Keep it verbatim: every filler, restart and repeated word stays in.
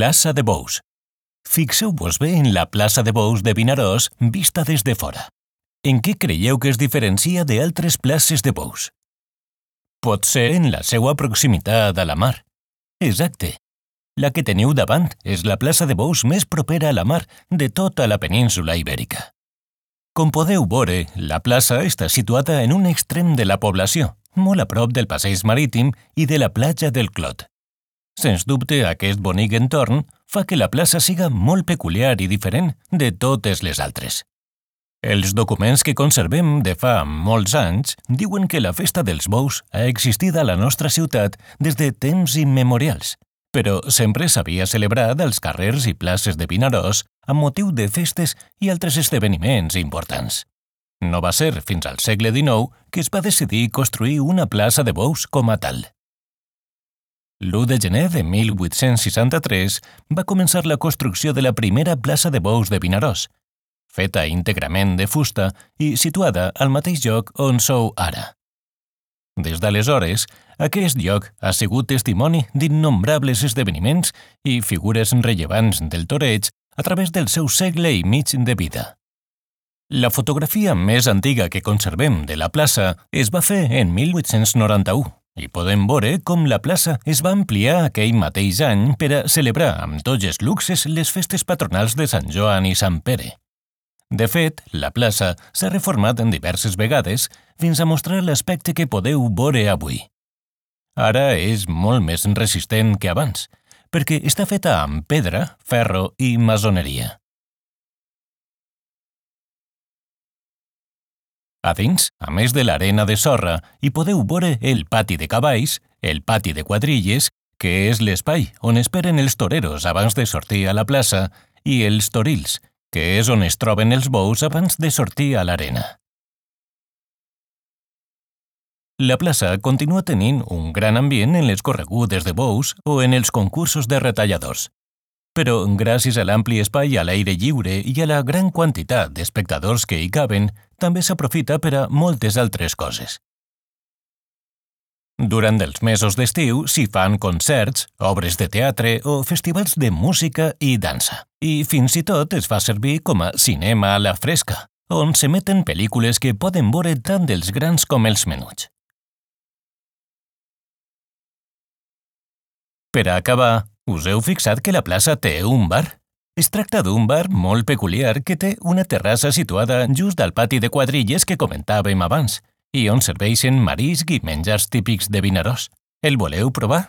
Plaça de Bous. Fixeu-vos bé en la plaça de Bous de Vinaròs vista des de fora. En què creieu que es diferencia d'altres places de Bous? Pot ser en la seva proximitat a la mar. Exacte. La que teniu davant és la plaça de Bous més propera a la mar de tota la península Ibèrica. Com podeu veure, la plaça està situada en un extrem de la població, molt a prop del passeig marítim i de la platja del Clot. Sens dubte, aquest bonic entorn fa que la plaça siga molt peculiar i diferent de totes les altres. Els documents que conservem de fa molts anys diuen que la festa dels bous ha existit a la nostra ciutat des de temps immemorials, però sempre s'havia celebrat als carrers i places de Vinaròs amb motiu de festes i altres esdeveniments importants. No va ser fins al segle dinou que es va decidir construir una plaça de bous com a tal. l'u de gener de mil vuit-cents seixanta-tres va començar la construcció de la primera plaça de bous de Vinaròs, feta íntegrament de fusta i situada al mateix lloc on sou ara. Des d'aleshores, aquest lloc ha sigut testimoni d'innombrables esdeveniments i figures rellevants del toreig a través del seu segle i mig de vida. La fotografia més antiga que conservem de la plaça es va fer en mil vuit-cents noranta-u i podem veure com la plaça es va ampliar aquell mateix any per a celebrar amb tots els luxes les festes patronals de Sant Joan i Sant Pere. De fet, la plaça s'ha reformat en diverses vegades fins a mostrar l'aspecte que podeu veure avui. Ara és molt més resistent que abans, perquè està feta amb pedra, ferro i maçoneria. A dins, a més de l'arena de sorra, hi podeu veure el pati de cavalls, el pati de quadrilles, que és l'espai on esperen els toreros abans de sortir a la plaça, i els torils, que és on es troben els bous abans de sortir a l'arena. La plaça continua tenint un gran ambient en les corregudes de bous o en els concursos de retalladors. Però, gràcies a l'ampli espai a l'aire lliure i a la gran quantitat d'espectadors que hi caben, també s'aprofita per a moltes altres coses. Durant els mesos d'estiu s'hi fan concerts, obres de teatre o festivals de música i dansa. I fins i tot es fa servir com a cinema a la fresca, on s'emeten pel·lícules que poden veure tant els grans com els menuts. Per a acabar, us heu fixat que la plaça té un bar? Es tracta d'un bar molt peculiar que té una terrassa situada just al pati de quadrilles que comentàvem abans i on serveixen marisc i menjars típics de Vinaròs. El voleu provar?